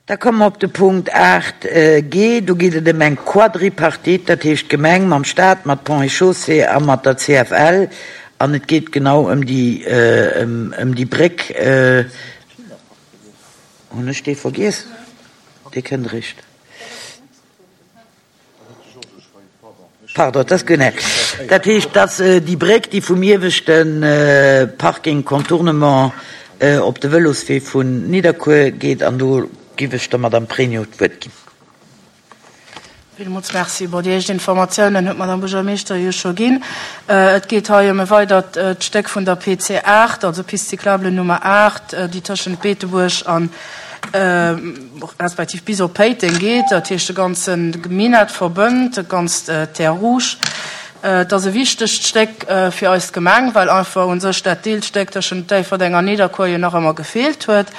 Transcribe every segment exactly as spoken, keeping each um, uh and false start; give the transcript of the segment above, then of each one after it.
Da komme mer op de Punkt aacht G. Do geet et ëm eng Quadripartite, dat heescht d'Gemeng mam Stat, mat Ponts et Chaussées a mat der C F L. An et geet genau ëm déi, ëm déi Bréck. Hunn ech dee vergiess? Dee kënnt eréischt. Pardon, dat ass guer net. Dat heescht, dass déi Bréck, déi vum ieweschte Parking Contournement op de Vëloswee vun Nidderkuer geet, an do giff ech der Madame Pregno d'Wuert ginn. Villmools Merci. Bon, déi éischt Informatiounen huet d'Madame Buergermeeschter jo scho ginn. Et geet hei ëm e weidert Stéck vun der P C aacht, also Piste cyclable Nummer aacht, déi tëschent Beetebuerg an respektiv bis op Péiteng geet, dat heescht de ganze Minett verbënnt, de ganz Terres Rouges. Et ass e wichtegt Stéck fir eis Gemeng, well einfach u sech dat Deelstéck tëschent Déifferdeng an Nidderkuer jo nach ëmmer gefeelt huet.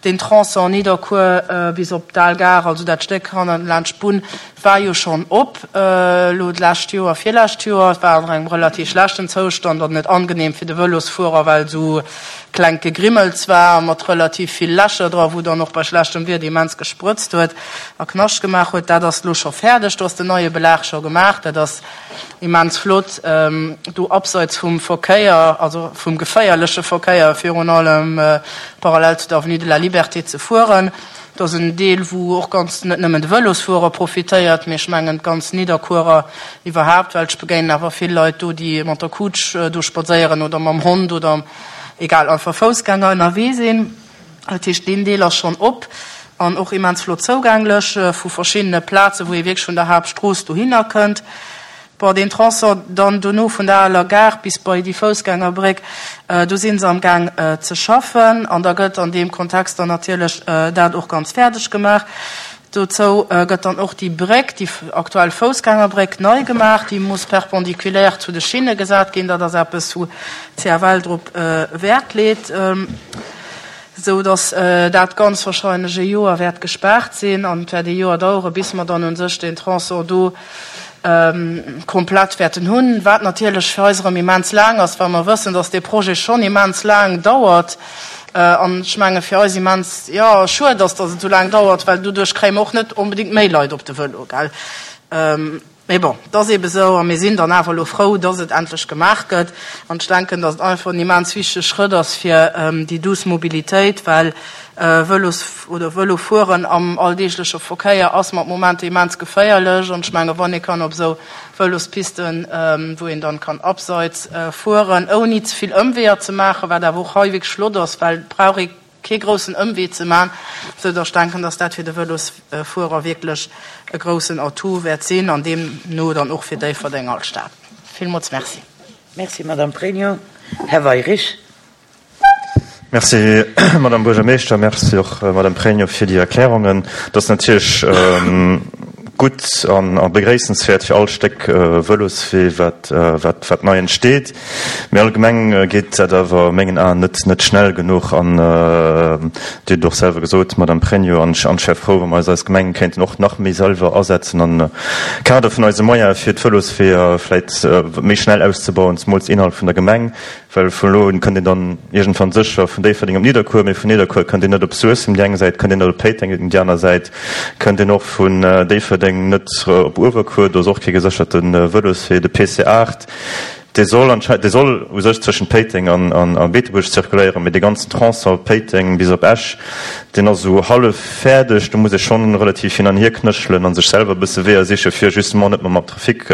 Den Tronçon Nidderkuer bis op d'Al Gare, also dat Stéck hannen laanscht d'Bunn, war jo schonn op elo d'lescht Joer, virlescht Joer. Et war an engem relativ schlechten Zoustand an net angenehm fir de Vëlosfuerer, well esou klengt Gegrimmels war mat relativ vill Lächer dra, wou dann och bei schlechtem Wieder immens gesprëtzt huet a Knascht gemaach huet. Dat ass elo scho fäerdeg, do ass den neie Belag scho gemaach. Dat ass immens flott, do abseits vum Verkéier, also vum geféierleche Verkéier virun allem, parallel zu der Avenue de la Liberté ze fueren. Dat ass en Deel, wou och ganz net nëmmen de Vëlosfuerer profitéiert, mee ech mengen d'ganz Nidderkuerer iwwerhaapt, well ech begéinen awer vill Leit do, déi mat der Kutsch do spadséieren oder mam Hond oder egal, einfach Foussgänger ënnerwee sinn. Dat heescht, deen Deel ass schonn op an och immens flott zougänglech vu verschiddene Plazen, wou ee wierklech vun der Haaptstrooss dohinner kënnt. Bon, deen Tronçon dann dono vun der aler Gare bis bei déi Foussgängerbréck, do si se am Gaang ze schaffen an da gëtt an deem Kontext dann natierlech dat och ganz fäerdeg gemaach. Dozou gëtt dann och déi Bréck, déi aktuell Foussgängerbréck, nei gemaach. Déi muss perpendiculaire zu de Schinne gesat ginn. Dat ass eppes, wou d'C F L drop Wäert leet, esou datt dat ganz wahrscheinlech e Joer wäert gespaart sinn an et wäert e Joer dauere bis mer dann un sech den Tronçon do komplett wäerten hunn, wat natierlech fir eis erëm immens laang ass, well mer wëssen, datt dee Projet schonn immens laang dauert. An ech menge fir eis immens, jo, schued ass, datt et esou laang dauert, well doduerch kréie mer och net onbedéngt méi Leit op de Vëlo, gell. Mee bon, et ass eebe sou a mir sinn dann awer elo frou, datt et endlech gemaach gëtt. An ech denken, datt et einfach en immens wichtege Schrëtt ass fir déi douce Mobilitéit, well Vëlos oder Vëlofueren am alldeegleche Verkéier ass mat Momenter immens geféierlech. An ech menge wann ee kann op esou Vëlospisten, wou een dann kann abseits fueren, ouni ze vill Ëmweeër ze maachen, wat awer och hei wierklech flott ass, well et brauch ee kee groussen Ëmwee ze man, sou datt ech denken, datt dat fir de Vëlosfuerer wierklech e groussen Atout wäert sinn an deemno dann och fir Déifferdeng als Stad. Villmools Merci. Merci, Madame Pregno. Här Weyrich. Merci, Madame Buergermeeschter. Merci och, Madame Pregno, fir déi Erklärungen. Dat ass natierlech gutt an a begréissenswäert fir all Stéck Vëloswee, wat wat wat nei entsteet. Mee allgemeng geet dat awer a mengen Aen net net schnell genuch an Dir hutt et och selwer gesot, Madame Pregno, an ech an ech wär frou, wa mer eis als Gemeng kéinten och nach méi selwer asetzen am Kader vun eise Moyene fir d'Vëlosweeër vläit méi schnell auszebauen, zemools innerhalb vun der Gemeng. Well vun elo un kënnt een dann iergendwann sécher vun Déifferdeng op Nidderkuer, mee vun Nidderkuer kënnt een net op Suessem déi eng Säit, kënnt een net op Péiteng déi aner Säit, kënnt een och vun Déifferdeng net op Uewerkuer, do ass och kee gesécherte Vëloswee. De P C aacht, dee soll anschei-, dee soll u sech zwëschent Péiteng an a Beetebuerg zirkuléieren, mee dee ganzen Tronçon Péiteng bis op Esch, deen ass esou hallef fäerdeg. Do muss ee schonn relativ hin an hier knéchelen a sech selwer e bësse Weeër siche fir justement net méi mam Trafic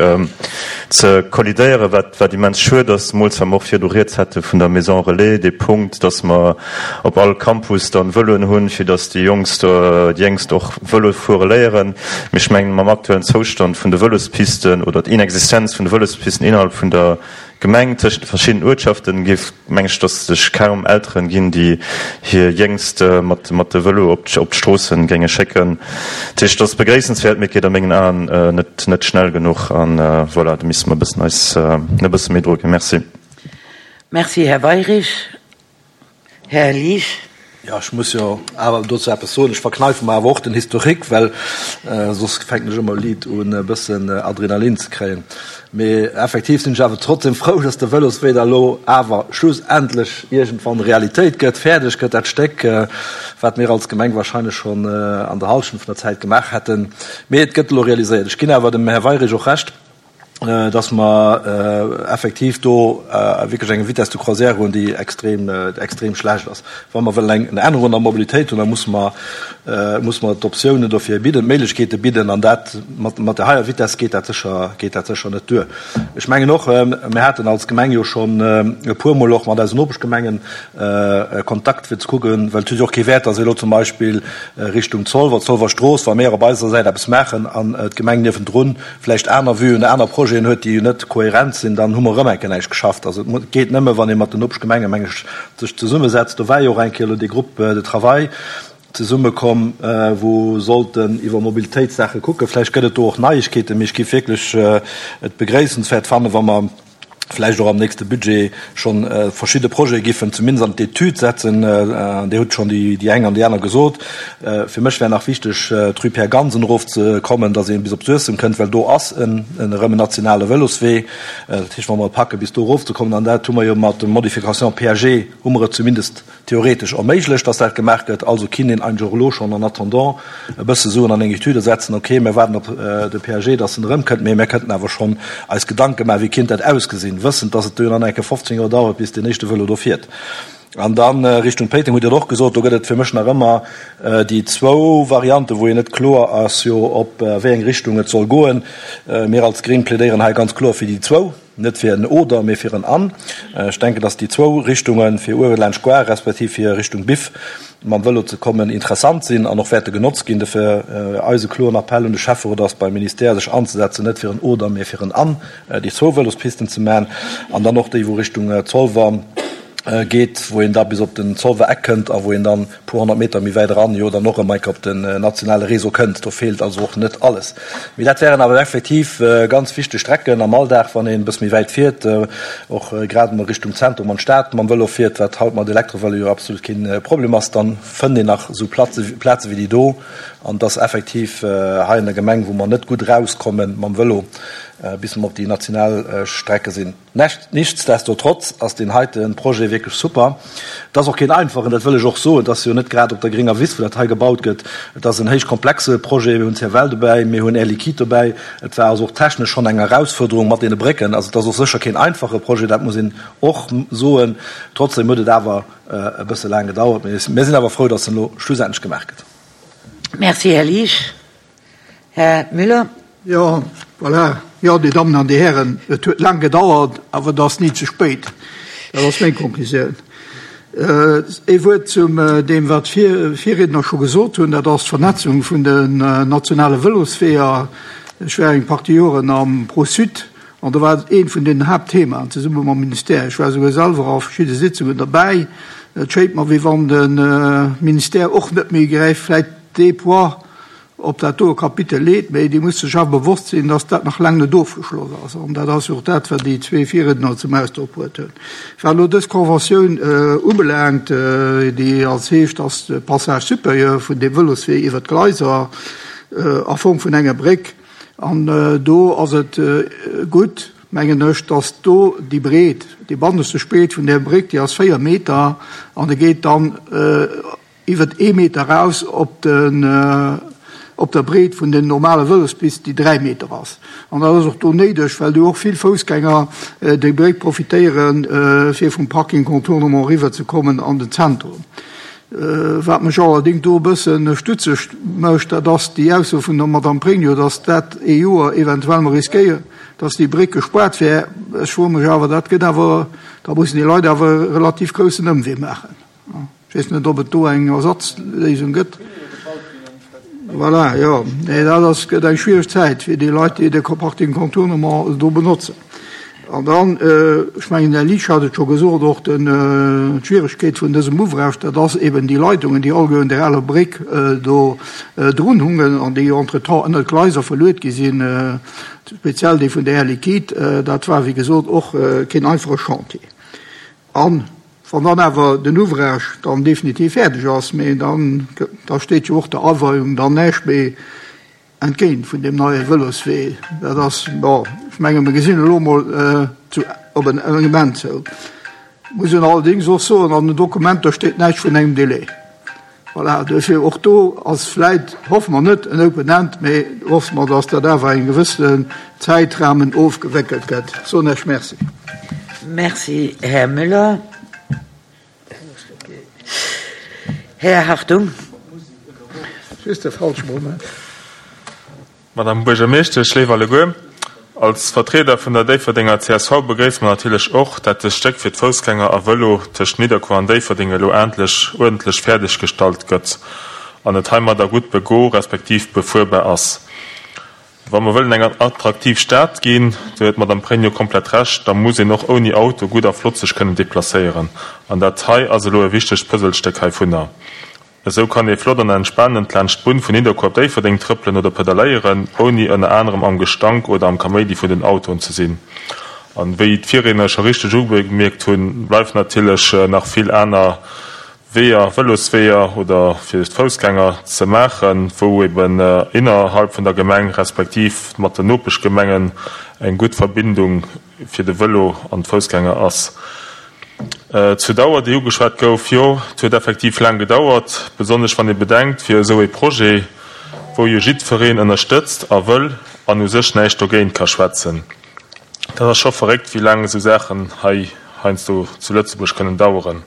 ze kollidéieren, wat wat immens schued ass, zemools well mer och virdu rieds hate vun der Maison Relais, dee Punkt, dass mer op all Campus dann Vëloen hunn, fir dass déi Jongst, déi Jéngst och Vëlo fuere léieren. Mee ech mengen, mam aktuellen Zoustand vun de Vëlospisten oder d'Inexistenz vun de Vëlospisten innerhalb vun der Gemeng tëschent de verschiddenen Uertschaften, géif, meng ech, dass sech kaum Elteren ginn, déi hir Jéngst mat mat de Vëlo op op d'Stroossen géinge schécken. Dat heescht, dat ass begréissenswäert, mee et geet a mengen Aen net net schnell genuch. An voilà, do misste mer e bëssen eis e bësse méi dru ginn. Merci. Merci, Här Weyrich. Här Liesch. Jo, ech muss jo awer dozou eppes soen. Ech verkneife mer awer och den Historique, well soss fänken ech ëmmer liit un e bëssen Adrenalin ze kréien. Mee effektiv sinn ech awer trotzdem frou, dass de Vëloswee da lo awer schlussendlech iergendwann Realitéit gëtt, fäerdeg gëtt, dat Stéck, wat mir als Gemeng wahrscheinlech schonn an der Hallschent vun der Zäit gemaach hätten. Mee et gëtt elo realiséiert. Ech ginn awer dem Här Weyrich och Recht, dass mer effektiv do wierklech eng Vitesse de croisière hunn, déi extrem, extrem schlecht ass. Wa mer wëllen eng Ännerung an der Mobilitéit hunn, da musse mer, musse mer d'Optiounen dofir bidden, d'Méiglechkeete bidden, an dat mat, mat där heier Vitesse geet dat sécher, geet dat sécher net duer. Ech mengen och, mir haten als Gemeng jo schonn e puermol och mat eisen Nopeschgemengen Kontakt, fir ze kucken, well et huet jo och kee Wäert, dass ee elo zum Beispill Richtung Zolwer, Zolwer Strooss, wa mir op eiser Säit eppes maachen an d'Gemeng niewendrun vläicht aner Vuen, aner Projeten huet, déi net kohärent sinn, dann hu mer erëm eng Kéier näischt geschafft. Also et geet nëmme, wann ee mat den Nopeschgemenge, meng ech, sech zesummesetzt. Do war jo och eng Kéier elo dee Groupe de travail zesummekomm, wou sollten iwwer Mobilitéitssaache kucken. Vläicht gëtt et do och Neiegkeeten, mee ech géif wierklech et begréissenswäert fannen, wa mer vläicht och am nächste Budget schonn verschidde Projete giffen zumindest an d'Etüd setzen. Dir hutt schonn déi eng an déi aner gesot. Fir mech wär nach wichteg, d'Rue Pierre Gansen erofzekommen, datt ee bis op Suessem kënnt, well do ass en erëm en nationale Vëloswee. Dat heescht, wa mer et packe bis do erofzekommen, an dat hu mer jo mat der Modification P A G hu mer et zumindest theoretesch erméiglecht, dass dat gemaach gëtt. Also kinnt een eigentlech och elo schonn en attendant e bësse Suen an eng Etüde setzen, okay, mir waarden op de P A G, dass en erëmkënnt, mee mir kënnten awer schonn eis Gedanke maachen, wéi kinnt dat ausgesinn, wëssend, dass et duerno nach eng Kéier fofzéng Joer dauert, bis deen éischte Vëlo do fiert. An da Richtung Péiteng hutt Dir et och gesot, do gëtt et fir mech nach ëmmer déi zwou Varianten, wou een net kloer ass jo, op wéi eng Richtung et soll goen. Mir als Gréng plädéieren hei ganz kloer fir déi zwou. Net fir en oder, mee fir en an. Ech denken, dass déi zwou Richtungen, fir uewe laanscht Gare respektiv fir Richtung Biff mam Vëlo ze kommen, interessant sinn an och wäerte genotzt ginn. Dofir eise kloren Appell un de Schäfferot ass, beim Ministère sech anzesetzen, net fir en oder, mee fir en an, déi zwou Vëlospisten ze maachen an dann och déi, wou Richtung Zolwer geet, wou een da bis op den Zolwer Eck kënnt a wou een dann e puer honnert Meter méi wäit eran jo dann och erëm eng Kéier op den nationale Réseau kënnt. Do feelt also och net alles. Mee dat wären awer effektiv ganz wichteg Strecken am Alldag, wann een e bësse méi wäit fiert, och grad emol Richtung Zentrum an d'Stad mam Vëlo fiert, wat haut mat Elektrovëlo jo absolut keen Problem ass, dann fënnt een nach esou Plaze wéi déi do. An et ass effektiv hei an der Gemeng, wou mer net gutt erauskommen mam Vëlo, bis mer op déi national Strecke sinn. Nichtsdestotrotz ass deen heite Projet wierklech super. Et ass och keen einfachen, dat wëll ech och soen. Et ass jo net grad op der grénger Wiss, wou dat hei gebaut gëtt. Et ass en héich komplexe Projet. Mir hunn C F L dobäi, mir hunn Air Liquide dobäi. Et war also och technesch schonn eng Erausfuerderung mat deene Brécken. Also et ass och sécher keen einfache Projet, dat muss een och soen. Trotzdem huet et awer e bësse laang gedauert. Mee mir sinn awer frou, datt en elo schlussendlech gemaach gëtt. Merci, Här Liesch. Här Müller. Jo, voilà. Jo, Dir Dammen an Dir Hären, et huet laang gedauert, awer et ass ni ze spéit. Dat ass meng Konklusioun. Ee Wuert zum deem, wat d'Virriedner scho gesot hunn, dat ass d'Vernetzung vun den nationale Vëlosweeër. Ech war eng Partie Joren am ProSud an do war et eent vun den Haaptthemaen zesumme mam Ministère. Ech war esouguer selwer a verschidde Sitzungen derbäi. Et schéint mer, wéi wann de Ministère och net méi gräif vläicht dee Poids op dat doe Kapitel leet, mee Dir musst sech awer bewosst sinn, dass dat nach laang net ofgeschloss ass. An dat ass jo och dat, wat déi zwee Virriedner zum Ausdrock bruet hunn. Wat elo dës Conventioun ubelaangt, déi als heescht, dass de Passage supérieur vun deem Vëloswee iwwert d'Gleiser a Form vun enger Bréck, an do ass et gutt, mengen ech, dass do déi Breet, déi bannescht Breet vun där Bréck, déi ass véier Meter an e geet dann iwwert ee Meter eraus op den, op der Breet vun den normale Vëlospist, déi dräi Meter ass. An dat ass och do néideg, well do och vill Foussgänger déi Bréck profitéieren, fir vum Parking Contournement eriwwer ze kommen an den Zentrum. Wat mech allerdéngs do e bësse stutzeg mécht, dat ass déi Ausso vun der Madame Pregno, dass dat ee Joer eventuell mer riskéieren, dass déi Bréck gespaart wär. Ech froe mech awer, dat gëtt awer, da mussen déi Leit awer e relativ groussen Ëmwee maachen. Ech weess net, ob et do eng Ersatzléisung gëtt. Voilà, jo. Nee, dat ass, gëtt eng schwiereg Zäit fir déi Leit, déi de Parking Contournement do benotzen. An dann, ech mengen, den Här Liesch hat et scho gesot, och den, d'Schwieregkeet vun dësem Ouvrage, dat ass eben déi Leitungen, déi alleguer un där aler Bréck do drun hungen an déi entretemps ënnert d'Gleiser verluet gi sinn, speziell déi vun der Air Liquide. Dat war, wéi gesot, och keen einfache Chantier. An Wann dann awer den Ouvrage dann definitiv fäerdeg ass, mee dann, da steet jo och der Aweiung dann näischt méi entgéint vun deem neie Vëloswee. Dat ass, bon, ech menge mer gesinn elo emol zu op en engem Enn zou. Muss een allerdéngs och soen, an den Dokumenter steet näischt vun engem Délai. Voilà, duerfir och do ass vläit, hoffe mer net en Open End, mee hoffe mer, dass dat awer engem gewëssenen Zäitrahmen ofgewéckelt gëtt. Soen ech Merci. Merci, Här Müller. Här Hartung. Just de falsche Moment. Madame Buergermeeschtesch, léif alleguer, als Vertrieder vun der Déifferdenger C S V begréisse mer natierlech och, dat dëst Stéck fir d'Foussgänger a Vëlo tëscht Nidderkuer an Déifferdeng elo endlech uerdentlech fäerdeggestallt gëtt an et heimadder gutt bego respektiv befuerbar ass. Wa mer wëllen eng attraktiv Stad ginn, do huet d'Madame Pregno komplett Recht, da muss een och ouni Auto gutt a flott sech kënnen deplacéieren. An dat hei ass elo e wichtegt Puzzlestéck heivunner. Esou kann ee flott an entspanend laanscht d'Bunn vun Nidderkuer op Déifferdeng trëppelen oder pedaléieren, ouni ënner anerem am Gestank oder am Kaméidi vun den Autoen ze sinn. An wéi d'Virredner scho richteg ugemierkt hunn, bleift natierlech nach vill aner Weeër, Vëlosweeër oder fir d'Foussgänger ze maachen, wou eben innerhalb vun der Gemeng respektiv mat den Nopeschgemengen eng gutt Verbindung fir de Vëlo an d'Foussgänger ass. Äh, zur Dauer, déi ugeschwat gouf, jo, et huet effektiv laang gedauert, besonnesch wann ee bedenkt, fir esou e Projet, wou jo jiddwereen ënnerstëtzt a wëll an u sech näischt dogéint ka schwätzen. Dat ass scho verréckt, wéi laang esou Saachen hei heiansdo zu Lëtzebuerg kënnen daueren.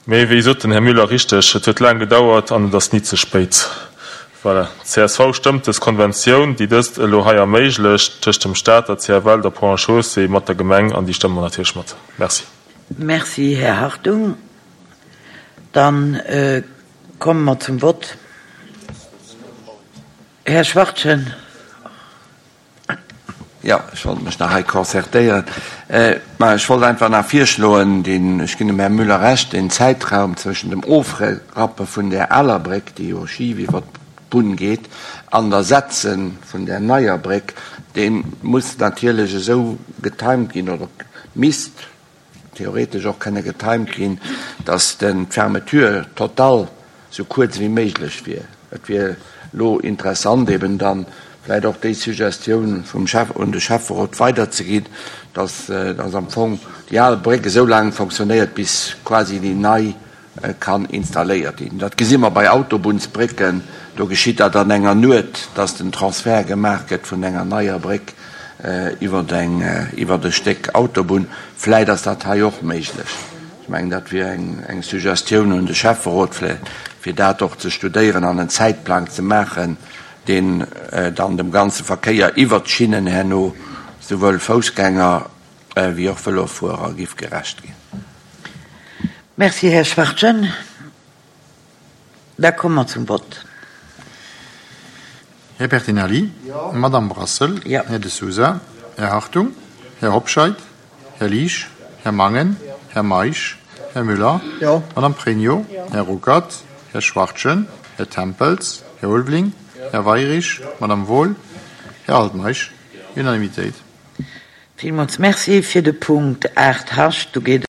Mee wéi sot den Här Müller richteg, et huet laang gedauert an et ass ni ze spéit. Voilà. C S V stëmmt dës Konventioun, déi dëst elo hei erméiglecht, tëscht dem Staat, der C F L, der Ponts et Chaussées mat der Gemeng, an déi stëmme mer natierlech mat. Merci. Merci, Här Hartung. Dann, äh, kommen wir zum Wort. Herr Schwartchen. Ja, ich wollte mich nach hei concertéieren. Äh, ma ich wollte einfach nach vorschlagen, den, ich gebe dem Herrn Müller recht, den Zeitraum zwischen dem Ofrappe von der Alerbrück, die jo schief über die Bunn geht, an der Setzen von der Neierbrück, den muss natürlich so getimt gehen oder misst theoretisch auch keine getimt gehen, dass den Fermeture total so kurz wie möglich wär. Et wär lo interessant eben dann vielleicht auch die Suggestion vom Chef und dem Chefrat weiterzugehen, dass, äh, dass am Fong die alte Brücke so lange funktioniert, bis quasi die neu, äh, kann installiert werden. Das sehen wir bei Autobahnsbrücken, da geschieht das dann enger Not, dass den Transfer gemacht wird von einer neuen Brücke, äh, über den, äh, über das Stück Autobahn. Vielleicht ist das hier auch möglich. Ich meine, das wäre eng, eng Suggestion und der Chefrat vielleicht, für das auch zu studieren und einen Zeitplan zu machen, den, äh, dann dem ganzen Verkehr über die Schienen her noch sowohl Fußgänger, äh, wie auch Velofahrer gibt gerecht gehen. Merci, Herr Schwartchen. Da kommen wir zum Wort. Herr Bertinelli, Ja. Madame Brassel, Ja. Herr de Souza, Herr Hartung, Herr Hobscheit, Herr Liesch, Herr Mangen, Herr Maisch, Herr Müller, Ja. Madame Pregno, Ja. Herr Ruckert, Herr Schwartchen, Herr Tempels, Herr Ulveling, Ja. Herr Weyrich, Madame Wohl, Herr Altmaisch. Unanimität. Vielmals merci für den Punkt acht H. Du geht